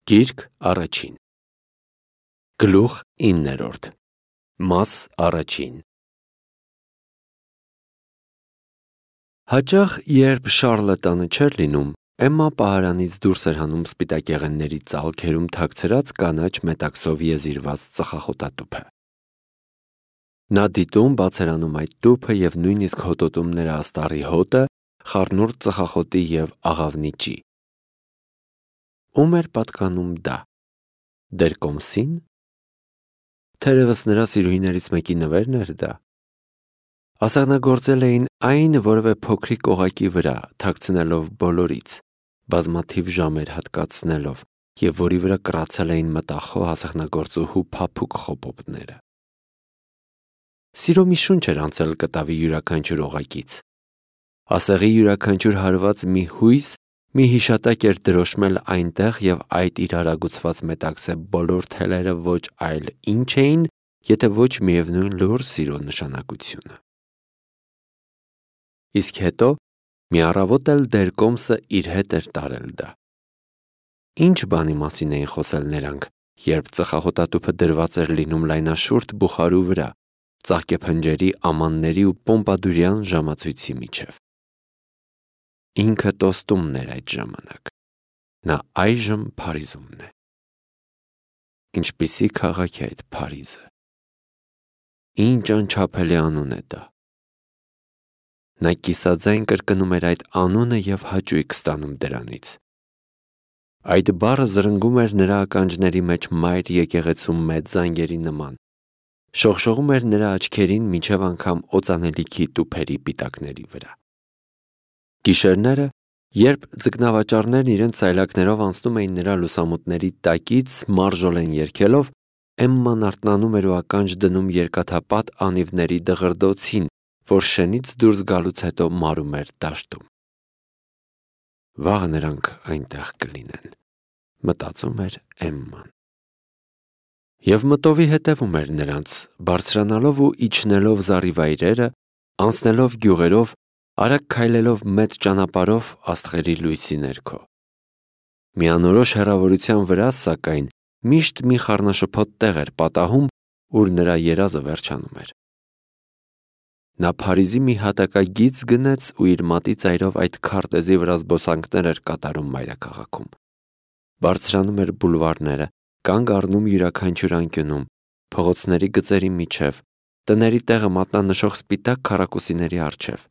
Գիրք առաջին Գլուխ 9 Մաս առաջին Հաճախ, երբ Շառլը տանը չէր լինում, Էմմա պահարանից դուրս էր հանում սպիտակեղենների ծալքերում թաքցրած կանաչ մետաքսով եզիրված ծխախոտատուփը։ Նա դիտում բաց էր անում այդ տուփը և նույնիսկ հոտոտում նրա աստառի հոտը, խառնուրդ ծխախոտի և աղավնիճի։ Ում էր պատկանում դա։ Դերկոմսին։ Թերևս նրա սիրուհիներից մեկի նվերն էր դա։ Ասեղնագործել էին այն որևէ փոքրիկ օղակի վրա, թաքցնելով բոլորից, բազմաթիվ ժամեր հատկացնելով, և որի վրա կռացել էին մտախոհ ասեղնագործուհու փափուկ խոպոպները։ Սիրո մի շունչ էր անցել կտավի յուրաքանչյուր օղակից։ Ասեղի յուրաքանչյուր հարված մի հույս, մի հիշատակ էր դրոշմել այնտեղ, և այդ իր արագուցված մետաքսե բոլոր թելերը ոչ այլ ինչ էին, եթե ոչ միևնույն լուռ սիրո նշանակությունը։ Իսկ հետո մի առավոտ էլ Դերկոմսը իր հետ էր տարել դա։ Ինչ բանի մասին էին խոսել նրանք, երբ ծխախոտատուփը դրված էր լինում լայնաշուրթ բուխարու վրա, ծաղկեփնջերի ամանների ու պոմպադուրյան ժամացույցի միջև։ Ինքը Տոստումն էր այդ ժամանակ։ Նա այժմ Փարիզումն է։ Ինչպիսի քաղաք է այդ Փարիզը։ Ինչ անչափելի անուն է դա։ Նա կիսաձայն կրկնում էր այդ անունը և հաճույք ստանում դրանից։ Այդ բառը զրնգում էր նրա ականջների մեջ մայր եկեղեցու մեծ զանգերի նման, շողշողում էր նրա աչքերին մինչև անգամ օծանելիքի տուփերի պիտակների վրա։ Գիշերները, երբ ձկնավաճառներն իրենց սայլակներով անցնում էին նրա լուսամուտների տակից մարժոլեն երգելով, Էմման արթնանում էր ու ականջ դնում երկաթապատ անիվների դղրդոցին, որ շենից դուրս գալուց հետո մարում էր դաշտում։ Վաղը նրանք այնտեղ կլինեն, մտածում էր Էմման։ Եվ մտովի հետևում էր նրանց, բարձրանալով ու իջնելով զառիվայրերը, անցնելով գյուղերով, արագ քայլելով մեծ ճանապարհով աստղերի լույսի ներքո։ Միանորոշ հեռավորության վրա, սակայն, միշտ մի խառնաշփոթ տեղ էր պատահում, ուր նրա երազը վերջանում էր։ Նա Փարիզի մի հատակագիծ գնեց ու իր մատի ծայրով այդ քարտեզի վրա զբոսանքներ էր կատարում մայրաքաղաքում։ Բարձրանում էր բուլվարները, կանգ առնում յուրաքանչյուր անկյունում, փողոցների գծերի միջև, տների տեղը մատնանշող սպիտակ քառակուսիների առջև։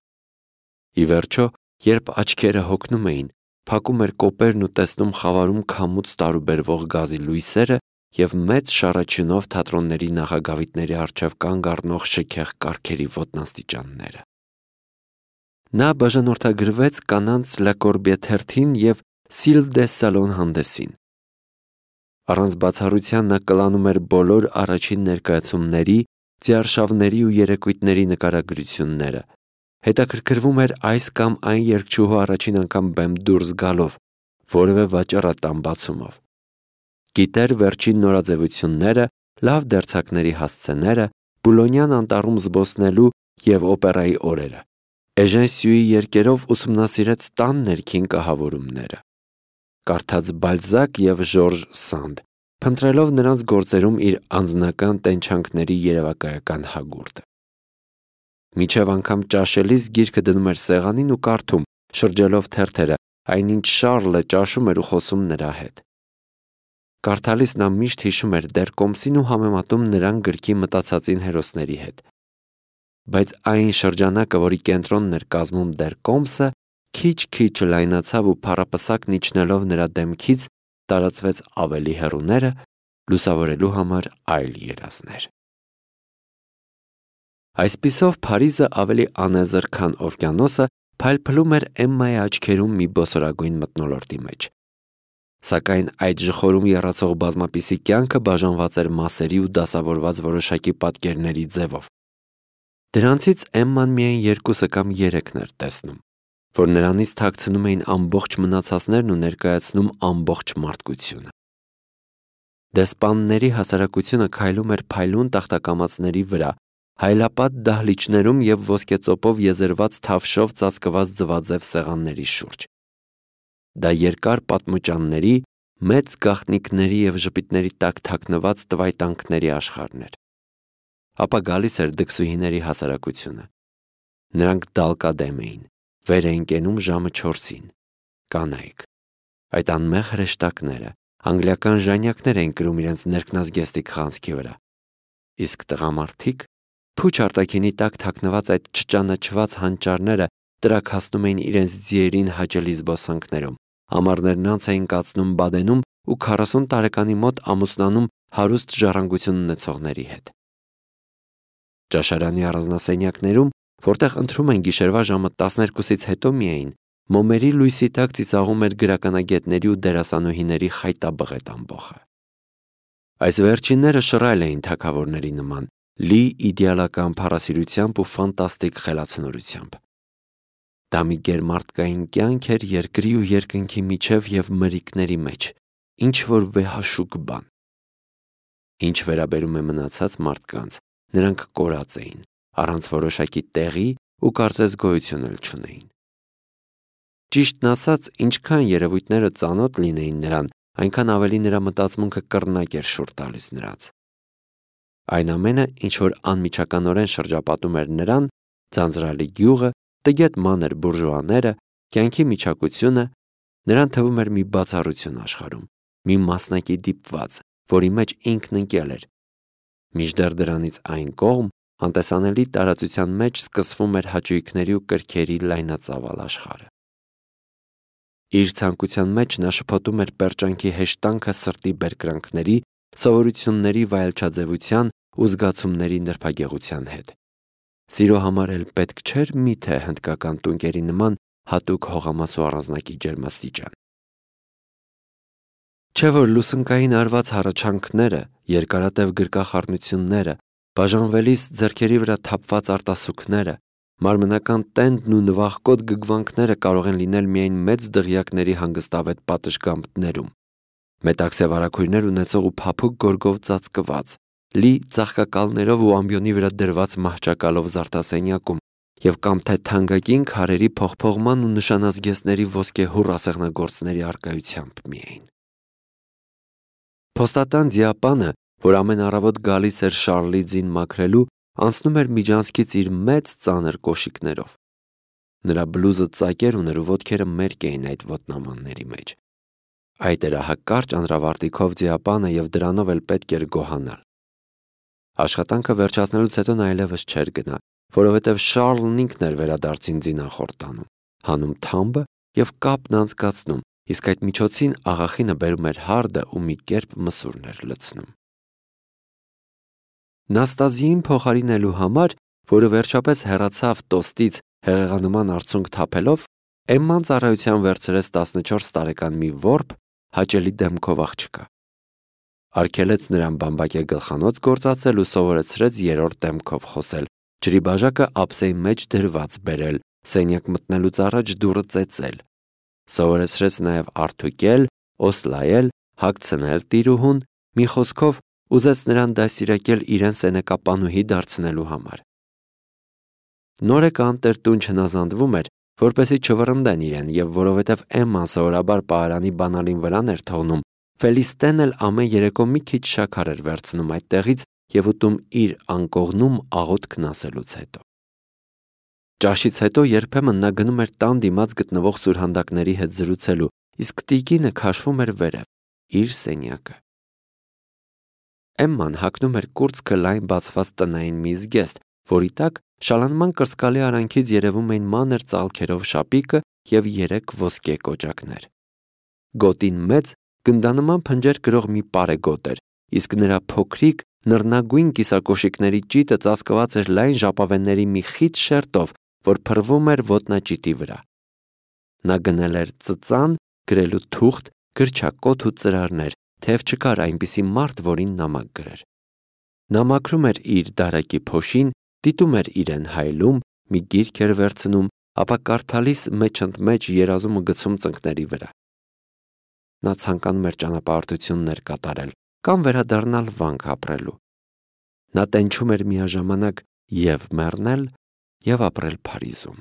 Ի վերջո, երբ աչքերը հոգնում էին, փակում էր կոպերն ու տեսնում խավարում քամուց տարուբերվող գազի լույսերը և մեծ շառաչյունով թատրոնների նախագավիթների առջև կանգ առնող շքեղ կառքերի ոտնաստիճանները։ Նա բաժանորդագրվեց կանանց Լա Կորբյե թերթին և Սիլվ դե Սալոն հանդեսին։ Առանց բացառության նա կլանում էր բոլոր առաջին ներկայացումների, ձիարշավների ու երեկույթների նկարագրությունները, հետաքրքրվում էր այս կամ այն երգչուհու առաջին անգամ բեմ դուրս գալով, որևէ վաճառատան բացումով։ Գիտեր վերջին նորաձևությունները, լավ դերձակների հասցեները, Բուլոնյան անտառում զբոսնելու և օպերայի օրերը։ Էժեն Սյուի երգերով ուսումնասիրեց տան ներքին կահավորումները։ Կարդաց Բալզակ և Ժորժ Սանդ, փնտրելով նրանց գործերում իր անձնական տենչանքների երևակայական հագուրդը։ Մինչև անգամ ճաշելիս գիրքը դնում էր սեղանին ու կարդում, շրջելով թերթերը, այնինչ Շառլը ճաշում էր ու խոսում նրա հետ։ Կարդալիս նա միշտ հիշում էր Դերկոմսին ու համեմատում նրան գրքի մտածածին հերոսների հետ։ Բայց այն շրջանակը, որի կենտրոնն էր կազմում Դերկոմսը, քիչ-քիչ լայնացավ ու փառապսակն իջնելով նրա դեմքից տարածվեց ավելի հեռուները, լուսավորելու համար այլ երազներ։ Այսպիսով Փարիզը ավելի անեզր, քան օվկիանոսը, փայլփլում էր Էմմայի աչքերում մի բոսորագույն մթնոլորտի մեջ։ Սակայն այդ ժխորում եռացող բազմապիսի կյանքը բաժանված էր մասերի ու դասավորված որոշակի պատկերների ձևով։ Դրանցից Էմման միայն 2 կամ 3-ն էր տեսնում, որ նրանից թաքցնում էին ամբողջ մնացածներն ու ներկայացնում ամբողջ մարդկությունը։ Դեսպանների հասարակությունը քայլում էր փայլուն տախտակամածների վրա, հայլապատ դահլիճներում և ոսկեծոպով եզերված թավշով ծածկված ձվաձև սեղանների շուրջ։ Դա երկար պատմուճանների, մեծ գաղտնիքների և ժպիտների տակ թաքնված տվայտանքների աշխարհն էր։ Ապա գալիս էր դքսուհիների հասարակությունը։ Նրանք դալկադեմ էին, վեր էին կենում ժամը 4-ին։ Կանայք, այդ անմեղ հրեշտակները, անգլիական ժանյակներ էին կրում իրենց ներքնազգեստիկ խանձքի վրա։ Իսկ տղամարդիկ, փուչ արտաքինի տակ թաքնված այդ չճանաչված հանճարները տրաքացնում էին իրենց ձիերին հաճելի զբոսանքներում, ամառներն անց էին կացնում Բադենում ու 40 տարեկանի մոտ ամուսնանում հարուստ ժառանգություն ունեցողների հետ։ Ճաշարանի առանձնասենյակներում, որտեղ ընթրում են գիշերվա ժամը 12-ից հետո միայն, մոմերի լույսի տակ ծիծաղում էր գրականագետների ու դերասանուհիների խայտաբղետ ամբոխը։ Այս վերջինները շռայլ էին թագավորների նման, լի իդեալական փառասիրությամբ ու ֆանտաստիկ խելացնորությամբ։ Դա մի գերմարդկային կյանք էր երկրի ու երկնքի միջև և մրիկների մեջ, ինչ-որ վեհաշուկ բան։ Ինչ վերաբերում է մնացած մարդկանց, նրանք կորած էին, առանց որոշակի տեղի ու կարծես գոյություն էլ չունեին։ Ճիշտն ասած, ինչքան երևույթները ծանոթ լինեին նրան, այնքան ավելի նրա մտածմունքը կռնակ էր շուռ տալիս նրանց։ Այն ամենը, ինչ որ անմիջականորեն շրջապատում էր նրան, ձանձրալի գյուղը, տգետ մանր բուրժուաները, կյանքի միջակությունը, նրան թվում էր մի բացառություն աշխարհում, մի մասնակի դիպված, որի մեջ ինքն ընկել էր։ Մինչդեռ դրանից այն կողմ, անտեսանելի տարածության մեջ սկսվում էր հաճույքների ու կրքերի լայնածավալ աշխարհը։ Իր ցանկության մեջ նա շփոթում էր պերճանքի հեշտանքը սրտի բերկրանքների, սովորությունների վայելչաձևության ու զգացումների նրբագեղության հետ։ Սիրո համար էլ պետք չէր միթե հնդկական տունկերի նման հատուկ հողամաս ու առանձնակի ջերմաստիճան։ Չէ՞ որ լուսնկային արված հառաչանքները, երկարատև գրկախառնությունները, բաժանվելիս ձեռքերի վրա թափված արտասուքները, մարմնական տենդն ու նվախկոտ գգվանքները կարող են լինել միայն մեծ դղյակների հանգստավետ պատշգամբներում, մետաքսե վարագույրներ ունեցող ու փափուկ գորգով ծածկված, լի ծաղկակալներով ու ամբիոնի վրա դրված մահճակալով զարդասենյակում և կամ թե թանկագին քարերի փողփողման ու նշանազգեստների ոսկեհուռ ասեղնագործների առկայությամբ միայն։ Փոստատան ձիապանը, որ ամեն առավոտ գալիս էր Շառլի ձին մաքրելու, անցնում էր միջանցքից իր մեծ ծանր կոշիկներով։ Նրա բլուզը ծակեր ուներ ու ոտքերը մերկ էին այդ ոտնամանների մեջ։ Այդ էր հակարճ անրավարտիքով ձիապանը և դրանով էլ պետք էր գոհանալ։ Աշխատանքը վերջացնելուց հետո նա այլևս չէր գնա, որովհետև Շառլն ինքն էր վերադարձին ձինախորտանում, հանում թամբը և կապն անցկացնում, իսկ այդ միջոցին աղախինը բերում էր հարդը ու մի կերպ մսուրն էր լցնում։ Նաստազիին փոխարինելու համար, որը վերջապես հեռացավ տոստից հեղեղանման արցունք թափելով, Էմման ծառայության վերցրեց 14 տարեկան մի որբ, հաճելի դեմքով աղջկա։ Արգելեց նրան բամբակե գլխանոց գործածել ու սովորեցրեց երրորդ դեմքով խոսել, ջրի բաժակը ափսեի մեջ դրված բերել, սենյակ մտնելուց առաջ դուռը ծեծել։ Սովորեցրեց նաև արթուկել, օսլայել, հագցնել տիրուհուն, մի խոսքով ուզեց նրան դաստիարակել իրեն սենեկապանուհի դարձնելու համար։ Նորեկը անտերտուն չնազանդվում էր, որպեսզի չվռնդեն իրեն, և որովհետև Էմման սովորաբար պահարանի բանալին վրան էր թողնում, Ֆելիստեն էլ ամեն երեկո մի քիչ շաքար էր վերցնում այդտեղից և ուտում իր անկողնում աղոթքն ասելուց հետո։ Ճաշից հետո երբեմն նա գնում էր տան դիմաց գտնվող սուրհանդակների հետ զրուցելու, իսկ տիկինը քաշվում էր վերև, իր սենյակը։ Էմման հագնում էր կուրծքը լայն բացված տնային մի զգեստ, որի տակ շալանման կրծքալի արանքից երևում էին մանր ծալքերով շապիկը և 3 ոսկե կոճակներ։ Գոտին մեծ, գնդանման փնջեր կրող մի պարեգոտ էր, իսկ նրա փոքրիկ, նռնագույն կիսակոշիկների ճիտը ծածկված էր լայն ժապավենների մի խիտ շերտով, որ փռվում էր ոտնաճիտի վրա։ Նա գնել էր ծծան, գրելու թուղթ, գրչակոթ ու ծրարներ, թեև չկար այնպիսի մարդ, որին նամակ գրեր։ Նա մաքրում էր իր դարակի փոշին, դիտում էր իրեն հայլում, մի գիրք էր վերցնում, ապա կարդալիս մեջընդմեջ երազումը գցում ծնկների վրա։ Նա ցանկանում էր ճանապարհորդություններ կատարել կամ վերադառնալ վանք ապրելու։ Նա տենչում էր միաժամանակ և մեռնել, և ապրել Փարիզում։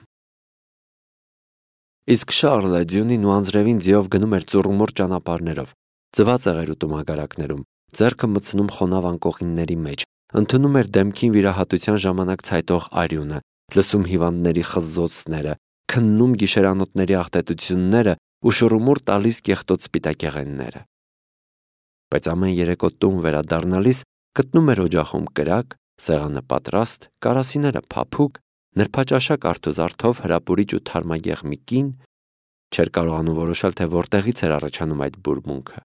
Իսկ Շառլը ձյունին ու անձրևին ձիով գնում էր ծուռումուռ ճանապարհներով, ձվածեղեր ուտում ագարակներում, ձեռքը մտցնում խոնավ անկողինների մեջ, ընդունում էր դեմքին վիրահատության ժամանակ ցայտող արյունը, լսում հիվանդների խզզոցները, քննում գիշերանոթների աղտետությունները ու շուռումուռ տալիս կեղտոտ սպիտակեղենները։ Բայց ամեն երեկո տուն վերադառնալիս գտնում էր օջախում կրակ, սեղանը պատրաստ, կարասիները փափուկ, նրբաճաշակ արթուզարթով հրապուրիչ ու թարմագեղ մի կին, չէր կարողանում որոշել, թե որտեղից էր առաջանում այդ բուրմունքը։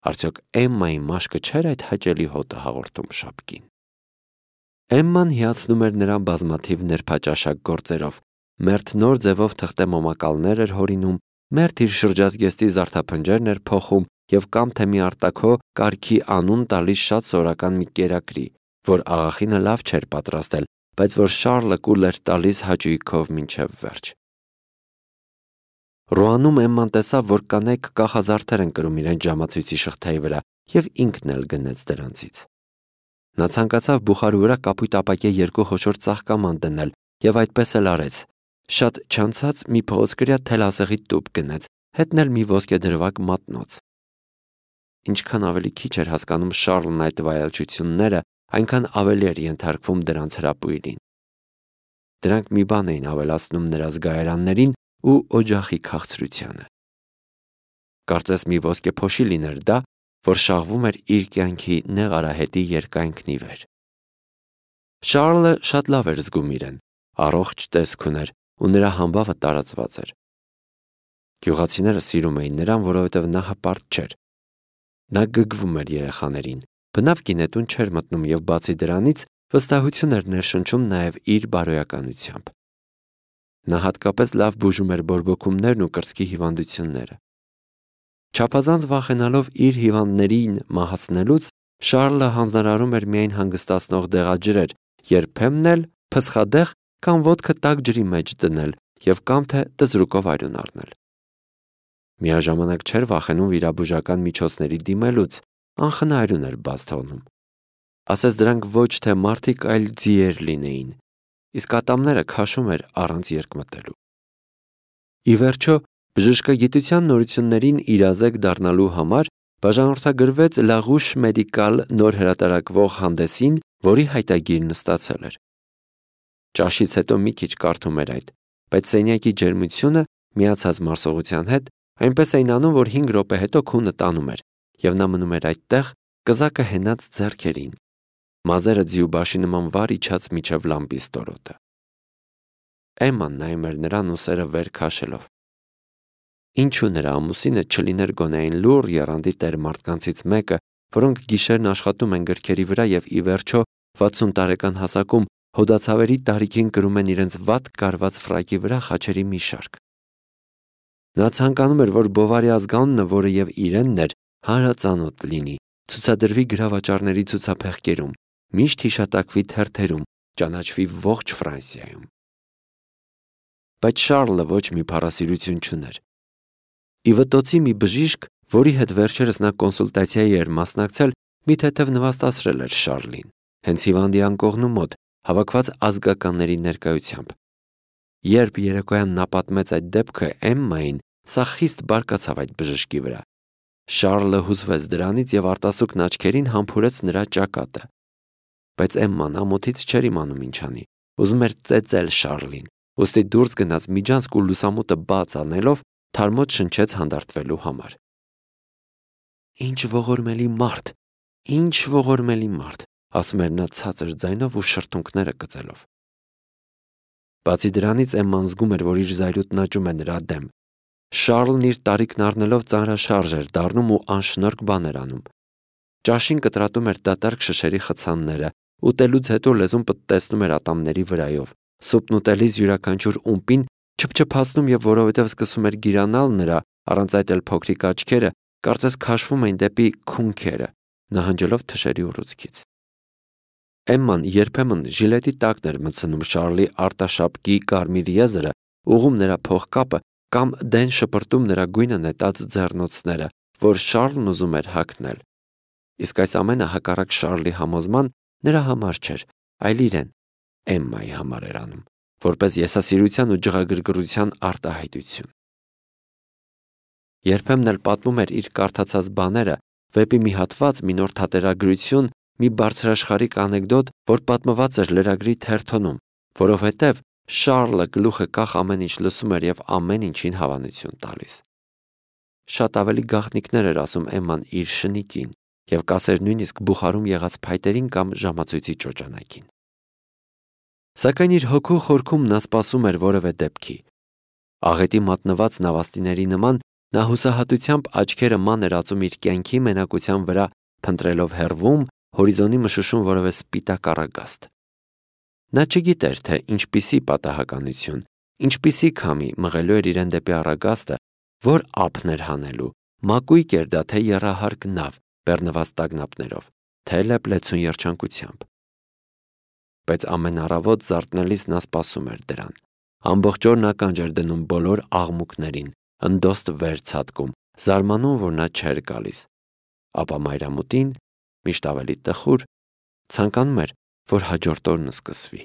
Արդյոք Էմմայի մաշկը չէր այդ հաճելի հոտը հաղորդում շապկին։ Էմման հիացնում էր նրան բազմաթիվ նրբաճաշակ գործերով, մերթ նոր ձևով թղթե մոմակալներ էր հորինում, մերթ իր շրջազգեստի զարդափնջերն էր փոխում և կամ թե մի արտաքո կարգի անուն տալիս շատ սովորական մի կերակրի, որ աղախինը լավ չէր պատրաստել, բայց որ Շառլը կուլ էր տալիս հաճույքով մինչև վերջ։ Ռոանում Էմման տեսավ, որ կանայք կախազարդեր են կրում իրենց ժամացույցի շղթայի վրա և ինքն էլ գնեց դրանցից։ Նա ցանկացավ բուխարու վրա կապույտ ապակե երկու խոշոր ծաղկաման դնել և այդպես էլ արեց։ Շատ չանցած մի փղոցկրյա թելասեղի տուփ գնեց, հետն էլ մի ոսկեդրվագ մատնոց։ Ինչքան ավելի քիչ էր հասկանում Շառլն այդ վայելչությունները, այնքան ավելի էր ենթարկվում դրանց հրապույրին։ Դրանք մի բան էին ավելացնում նրա զգայարաններին ու օջախի քաղցրությանը։ Կարծես մի ոսկեփոշի լիներ դա, որ շաղվում էր իր կյանքի նեղ արահետի երկայնքն ի վեր։ Շառլը շատ լավ էր զգում իրեն, առողջ տեսք ուներ ու նրա համբավը տարածված էր։ Գյուղացիները սիրում էին նրան, որովհետև նա հպարտ չէր։ Նա գգվում էր երեխաներին, բնավ գինետուն չէր մտնում և բացի դրանից վստահություն էր ներշնչում նաև իր բարոյականությամբ։ Նա հատկապես լավ բուժում էր բորբոքումներն ու կրծքի հիվանդությունները։ Չափազանց վախենալով իր հիվանդներին մահացնելուց, Շառլը հանձնարարում էր միայն հանգստացնող դեղաջրեր, երբեմն էլ փսխադեղ կամ ոտքը տաք ջրի մեջ դնել և կամ թե տզրուկով արյուն առնել։ Միաժամանակ չէր վախենում վիրաբուժական միջոցների դիմելուց, անխնայարություն էր բաց թողնում։ Ասես դրանք ոչ թե մարդիկ, այլ ձիեր լինեին, իսկ ատամները քաշում էր առանց երկմտելու։ Ի վերջո, բժշկագիտության նորություններին իրազեկ դառնալու համար բաժանորդագրվեց La Ruche Médicale նոր հրատարակվող հանդեսին, որի հայտագիրն ստացել էր։ Ճաշից հետո մի քիչ կարդում էր այդ, բայց սենյակի ջերմությունը միացած մարսողության հետ այնպես էին անում, որ 5 րոպե հետո քունը տանում էր, և նա մնում էր այդտեղ, կզակը հենած ձեռքերին, մազերը ձիուբաշի նման վար իջած միջև լամպի ստորոտը։ Էմման նայում էր նրան ուսերը վեր քաշելով։ Ինչու նրա ամուսինը չլիներ գոնե այն լուռ եռանդի տեր մարդկանցից մեկը, որոնք գիշերն աշխատում են գրքերի վրա և ի վերջո 60 տարեկան հասակում հոդացավերի տարիքին կրում են իրենց վատ կարված ֆրակի վրա խաչերի մի շարք։ Նա ցանկանում էր, որ Բովարի ազգանունը, որը և իրենն էր, հանրածանոթ լինի, ցուցադրվի գրավաճառների ցուցափեղկերում, միշտ հիշատակվի թերթերում, ճանաչվի ողջ Ֆրանսիայում։ Բայց Շառլը ոչ մի փառասիրություն չուներ։ Ի վտոցի մի բժիշկ, որի հետ վերջերս նա կոնսուլտացիայի էր մասնակցել, մի թեթև նվաստացրել էր Շառլին, հենց հիվանդի անկողնու մոտ, հավաքված ազգականների ներկայությամբ։ Երբ երեկոյան նա պատմեց այդ դեպքը Էմմային, սա խիստ բարկացավ այդ բժշկի վրա։ Շառլը հուզվեց դրանից և արտասուքն աչքերին համբուրեց նրա ճակատը։ Բայց Էմման ամոթից չէր իմանում ինչ անի, ուզում էր ծեծել Շառլին, ուստի դուրս գնաց միջանցք ու լուսամուտը բաց անելով թարմոց շնչեց հանդարտվելու համար։ Ինչ ողորմելի մարդ, ինչ ողորմելի մարդ, ասում էր նա ցածր ձայնով ու շրթունքները կծելով։ Բացի դրանից Էմման զգում էր, որ իր զայրույթն աճում է նրա դեմ։ Շառլն իր տարիքն առնելով ծանրաշարժ էր դառնում ու անշնորհք բաներ անում։ Ճաշին կտրատում էր դատարկ շշերի խցանները, ուտելուց հետո լեզուն պտտեցնում էր ատամների վրայով, սուպն ուտելիս յուրաքանչյուր ումպին չփչփացնում և որովհետև սկսում էր գիրանալ նրա, առանց այդ էլ փոքրիկ աչքերը, կարծես քաշվում էին դեպի քունքերը, նահանջելով թշերի ուռուցքից։ Էմման երբեմն ժիլետի տակն էր մտցնում Շառլի արտաշապկի կարմիր եզրը, ուղղում նրա փողկապը կամ դեն շպրտում նրա գույնը նետած ձեռնոցները, որ Շառլն ուզում էր հագնել։ Իսկ այս ամենը հակառակ Շառլի համոզման նրա համար չէր, այլ իրեն, Էմմայի համար էր անում, որպես եսասիրության ու ջղագրգռության արտահայտություն։ Երբեմն էլ պատմում էր իր կարդացած բաները, վեպի մի հատված, մի նոր թատերագրություն, մի բարձրաշխարհիկ անեկդոտ, որ պատմված էր լրագրի թերթոնում, որովհետև Շառլը գլուխը կախ ամեն ինչ լսում էր և ամեն ինչին հավանություն տալիս։ Շատ ավելի գաղտնիքներ էր ասում Էմման իր շնիկին և կասեր նույնիսկ բուխարում եղած փայտերին կամ ժամացույցի ճոճանակին։ Սակայն իր հոգու խորքում նա սպասում էր որևէ դեպքի։ Աղետի մատնված նավաստիների նման նա հուսահատությամբ աչքերը ման էր ածում իր կյանքի մենակության վրա, փնտրելով հեռվում հորիզոնի մշուշում որևէ սպիտակ առագաստ։ Նա չգիտեր, թե ինչպիսի պատահականություն, ինչպիսի քամի մղելու էր իրեն դեպի առագաստը, որ ափն էր հանելու, մակույկ էր դա, թե եռահարկ նավ, բեռնված տագնապներով, թե լեփլեցուն երջանկությամբ։ Բայց ամեն առավոտ զարթնելիս նա սպասում էր դրան։ Ամբողջ օրն ականջ էր դնում բոլոր աղմուկներին, ընդոստ վեր ցատկում, զարմանում, որ նա չէր գալիս։ Ապա մայրամուտին, միշտ ավելի տխուր, ցանկանում էր, որ հաջորդ օրն սկսվի։